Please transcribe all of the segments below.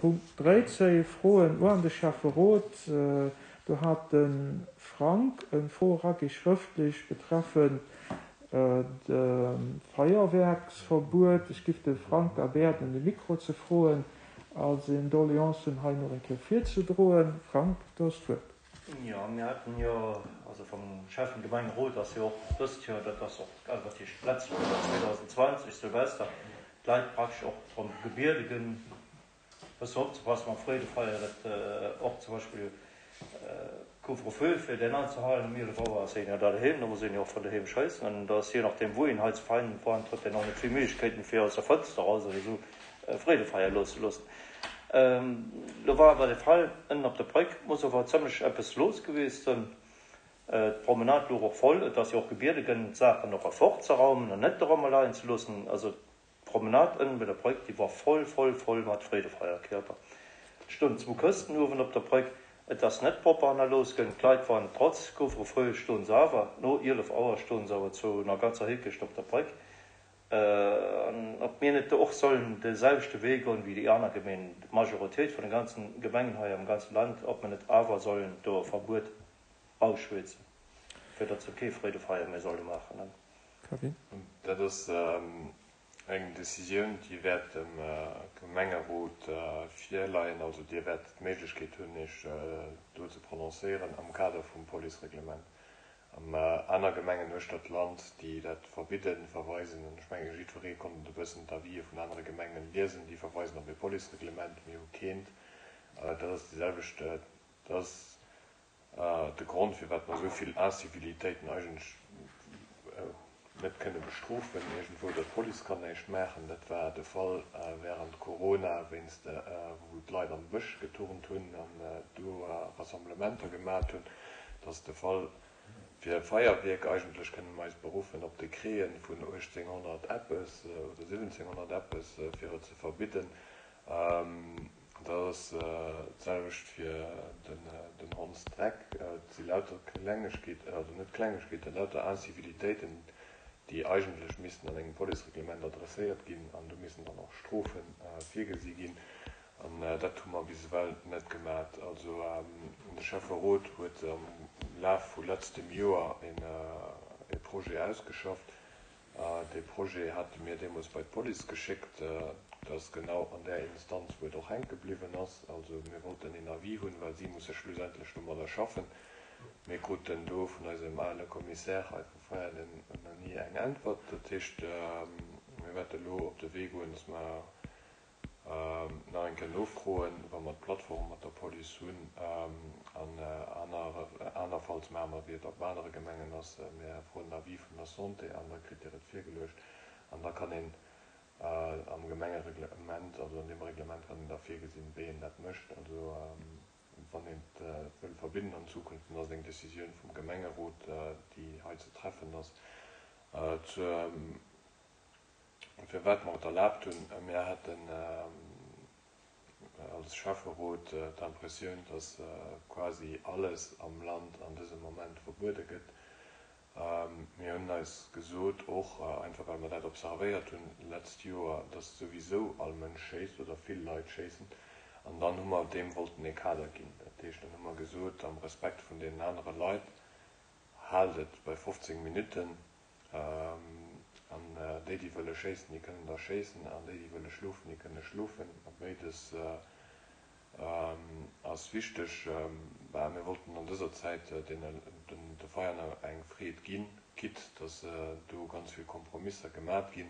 Punkt 13, Froen uan de Schäfferot. Do hat de Frank eng Fro eragi schrëftlech betreffend de Feierwerksverbuet. Ech giff de Frank da bäerden de Mikro ze froen a seng Doleancen hei nach eng Kéier virzedroen. Frank, du hues d'Wuert. Jo, mir haten jo, also vum Schäffen Gemengerot ass jo och dëst Joer, dat ass och, also dat heescht d'letzt Joer, 2020, Silvester, d'Leit praktesch och drëm gebiede ginn, Bëssen opzepassen mam Freedefeier, dat och zum Beispill Couvre-feu fir deen anzehalen. Um 11 Auer ass een jo da doheem, da muss een jo och vun doheem schéissen an da ass je nachdeem wou een hei zu Veinen wohnt, huet een och net vill Méiglechkeeten fir aus der Fënster eraus oder esou Freedefeier loosse loossen. Lo war awer de Fall ënnen op der Bréck, muss ower zëmmlech eppes los gewiescht sënn. D'Promenade louch och voll, et ass jo och gebiede gënn d'Saachen och erfortzeraumen an net dorëmmer leien ze loossen. Also D'Promenade ënnen bei der Bréck, déi war voll, voll, voll mat Freedefeierkierper. Et stoungen zwou Këschten uewen op der Bréck. Et ass net propper hannerlooss gënn. D'Leit waren trotz Couvre-feu stoen se awer, no 11 Auer stoen se awer zu enger ganzer Hickecht op der Bréck. An ob mir net do och sollen de selwechte Wee goen wéi déi aner Gemeenen, d'Majoritéit vun de ganzen Gemengen hei am ganzen Land, ob mer net awer sollen do e Verbuet ausschwätzen, fir datt se kee Freedefeier méi solle maachen. Kevin. Dat ass eng Decisioun, déi wäert dem Gemengerot virleien. Also Dir wäert d'Méiglechkeet hunn, Iech do ze prononcéieren am Kader vum Policereglement. Aner Gemengen uechter d'Land, déi dat verbidden, verweisen, an ech menge jiddweree konnt e bëssen d'Avisë vun anere Gemengen liesen, déi verweisen op e Policereglement. Mir hu keent. Dat ass déi selwecht, dat ass De Grond, firwat mer esou vill Incivilitéiten eigentlech net kënne bestrofen iergendwou, datt d'Police kann näischt maachen, dat war de Fall während Corona, wéinst wou d'Leit am Bësch geturnt hunn an do Rassemblementer gemat hunn. Dat ass de Fall fir Feierwierk. Eigentlech kënne mer eis beruffen op Dekreten vun 1800 eppes oder 1700 eppes, fir et ze verbidden. Dat ass d'selwecht fir den Hondsdreck. Et si lauter Klengegkeeten, also net Klengegkeeten, lauter Incivilitéiten, déi eigentlech missten an engem Policereglement adresséiert ginn an do missten dann och Strofe virgesi ginn. An dat hu mer bis ewell net gemat. Also de Schäfferot huet am Laf vu letztem Joer e Projet ausgeschafft, Dee Projet hate mir deemools bei d'Police geschéckt. Dat ass genau an där Instanz, wou et och hänke bliwwen ass. Also mir wollten een Avis hunn, well si musse schlussendlech domadder schaffen. Mir kruten do vun eisem ale Commissaire hei vu Veianen nach ni eng Äntwert. Dat heescht, mir wäerte elo op de Wee goen, dass mer Nach eng Kéier nofroen, wa mer d'Plattform mat der Police hunn. An anerfalls maache mer, wéi et op anere Gemengen ass, mir froen den Avis vun der Santé an da kritt Dir et virgeluecht. An da kann een am Gemengereglement, also an deem Reglement kann een da virgesinn, wéi een dat mécht. Also wann een et wëll verbidden an Zukunft, dann ass et eng Décisioun vum Gemengerot, déi hei ze treffen ass. Zur. Firwat mer et erlaabt hunn? Mir haten als Schäfferot d'Impressioun, dass quasi alles am Land an dësem Moment verbuede gëtt. Mir hunn eis gesot, och einfach well mer dat observéiert hunn d'letzt Joer, dass souwisou all Mënsch schéisst oder vill Leit schéissen. An dann hu mer deem wollten ee Kader ginn. Dat heescht, dann hu mer gesot, am Respekt vun deenen anere Leit, haalt et bei 15 Minutten. An déi, déi wëlle schéissen, déi kënnen da schéissen, an déi, déi wëlle schlofen, déi kënne schlofen. A béides ass wichteg. Mä mir wollten an dëser Zäit de Veianer eng Freed ginn, quitte dass do ganz vill Kompromisser gemat ginn.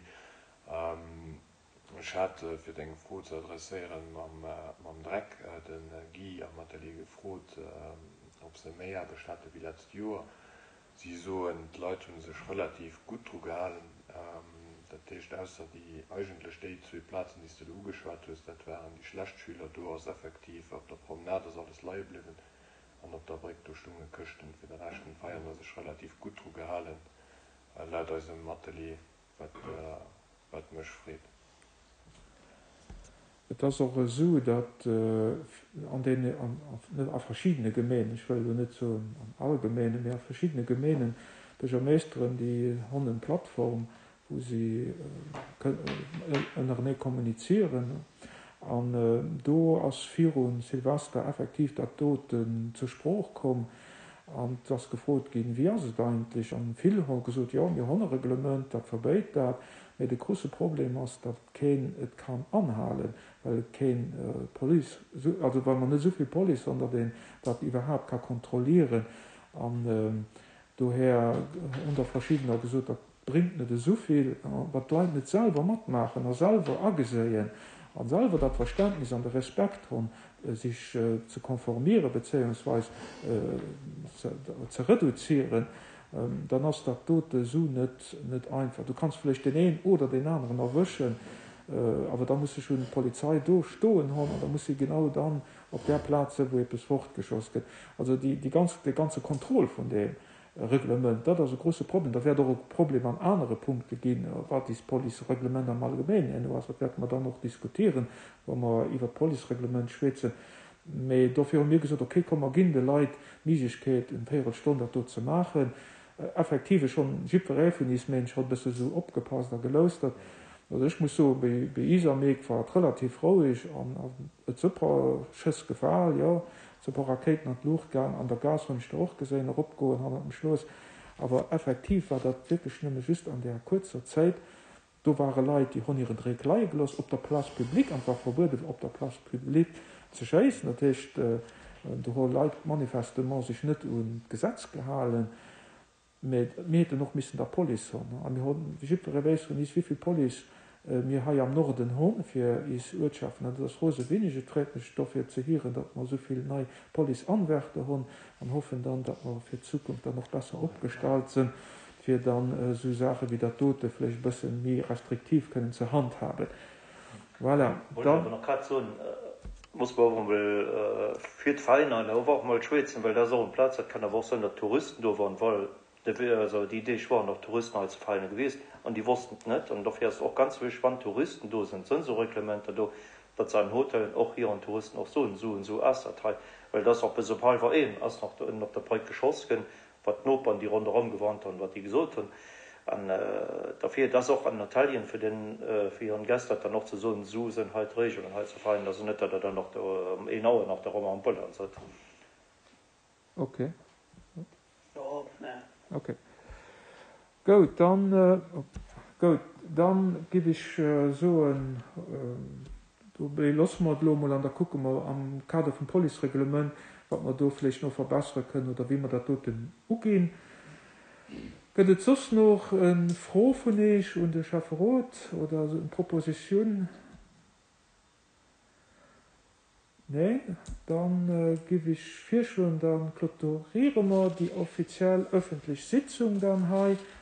Ech hat, fir deng Fro ze adresséieren, mam Dreck de Guy am Atelier gefrot, ob se méi Aarbecht hate wéi letzt Joer. Si soen, d'Leit hu sech relativ gutt dru gehalen. Dat heescht, ausser déi, eigentlech déi zwee Plazen, déi s de do ugeschwat hues, dat waren déi schlecht Schüler, do ass effektiv op der Promenade ass alles leie bliwwen an op der Bréck, do stounge Këschten. Fir de Rescht hunn d'Veianer sech relativ gutt dru gehalen, laut eisem Atelier, wat wat mech freet. Et ass och esou, datt an deene, net a verschiddene Gemeenen, ech wëll elo net soen an alle Gemeenen, mee a verschiddene Gemeenen, Buergermeeschteren, déi honn en Plattform, wou si ënnerenee kommunizieren. An do ass viru Silvester effektiv dat doten zur Sprooch komm an et ass gefrot ginn, Wéi ass et eigentlech? An vill hu gesot, Jo, mir hunn e Reglement, dat verbéit dat. Mee de grousse Problem ass, datt keen et kann anhalen, well et keen Police, also well mer net esou vill Police hunn, datt een dat iwwerhaapt ka kontrollieren. An dohär hunn der verschiddener gesot, dat bréngt net esou vill, wann d'Leit net selwer matmaachen a selwer ageséien a selwer dat Verständnis an de Respekt hunn, sech ze konformieren bezéiungsweis ze reduzieren, dann ass dat dote esou net net einfach. Du kanns vläicht deen een oder deen aneren erwëschen, awer da muss sech un d'Polizei do stoen hunn an da muss si genau dann op där Plaz sinn, wou eppes fortgeschoss gëtt. Also déi déi ganz dee ganze Contrôle vun deem Reglement, dat ass e grouse Problem. Da wäert och e Problem an anere Punkte ginn, wat is Policereglement am Allgemeenen herno ass. Dat wäerte mer dann och diskutieren, wa mer iwwert d'Policereglement schwätzen. Mee dofir hu mir gesot, okay, komm mer ginn de Leit d'Méiglechkeet, eng Véierelstonn dat do ze maachen. Effektiv, ech hunn, jiddweree vun is Ménsch huet e bësse sou opgepasst a geloustert. Also ech muss soen, bei bei is am Eek war et relativ roueg an et si puer Schëss gefal, jo, et si puer Rakéiten an d'Luucht gaang. An der Gaass hunn ech der och geséin eropgoen hannert dem Schloss. Awer effektiv war dat wierklech nëmme just an där kuerzer Zäit. Do ware Leit, déi honn hiren Dréck leie gelooss op der Place publique, an et war verbueden, op der Place publique ze schéissen. Dat heescht, do hu Leit manifestement sech net un d'Gesetz gehalen. Mä mir hätten och missen der Police honn. A mir honn, wéi jiddweree weess vun is, wéivill Police mir hei am Norden honn fir is Uertschaften. An dat ass rose wenig. Et freet mech dofir ze hieren, datt mer esou vill nei Policeanwärter honn an hoffen dann, datt mer fir d'Zukunft dann och besser opgestallt sënn, fir dann esou Saache wéi dat dote vläicht e bësse méi restriktiv kënnen ze handhaben. Voilà, Wollt ech awer nach grad soen, muss mer och emol fir d'Veräiner awer och emol schwätzen, well dat ass och eng Plaz, dat kann awer och sinn, datt Touristen do waren, well also déi Deeg waren och Touristen hei zu Veräiner gewiescht an déi wossten et net. An dofir ass et och ganz wichteg, wann Touristen do sinn, sinn esou Reglementer do, datt se an den Hotellen och hiren Touristen och soen, esou an esou ass dat hei, well et ass och bis op hallwer een ass nach do ënnen op der Bréck geschoss ginn, wat d'Noperen, déi ronderëm gewannt hunn, wat déi gesot hunn. An derfir, et ass och an Italien, fir den, fir hiren Gäst dat dann och ze soen, esou sinn hei d'Regeln hei ze feinen, also net, datt Der dann nach do ëm een Auer nach do rëm am Bullern sëtzt. Ok. Ok. Goud, dann, goud, dann giff ech soen, dobéi loosse mer et elo emol an da kucke mer am Kader vum Policereglement, wat mer do vläicht no verbessere kënnen oder wéi mer dat doten uginn. Gëtt et soss nach e Fro vun Eech un de Schäfferot oder eng Proposition? Neen? Dann giff ech virschloen, da clôturiere mer déi offiziell öffentlech Sitzung dann hei.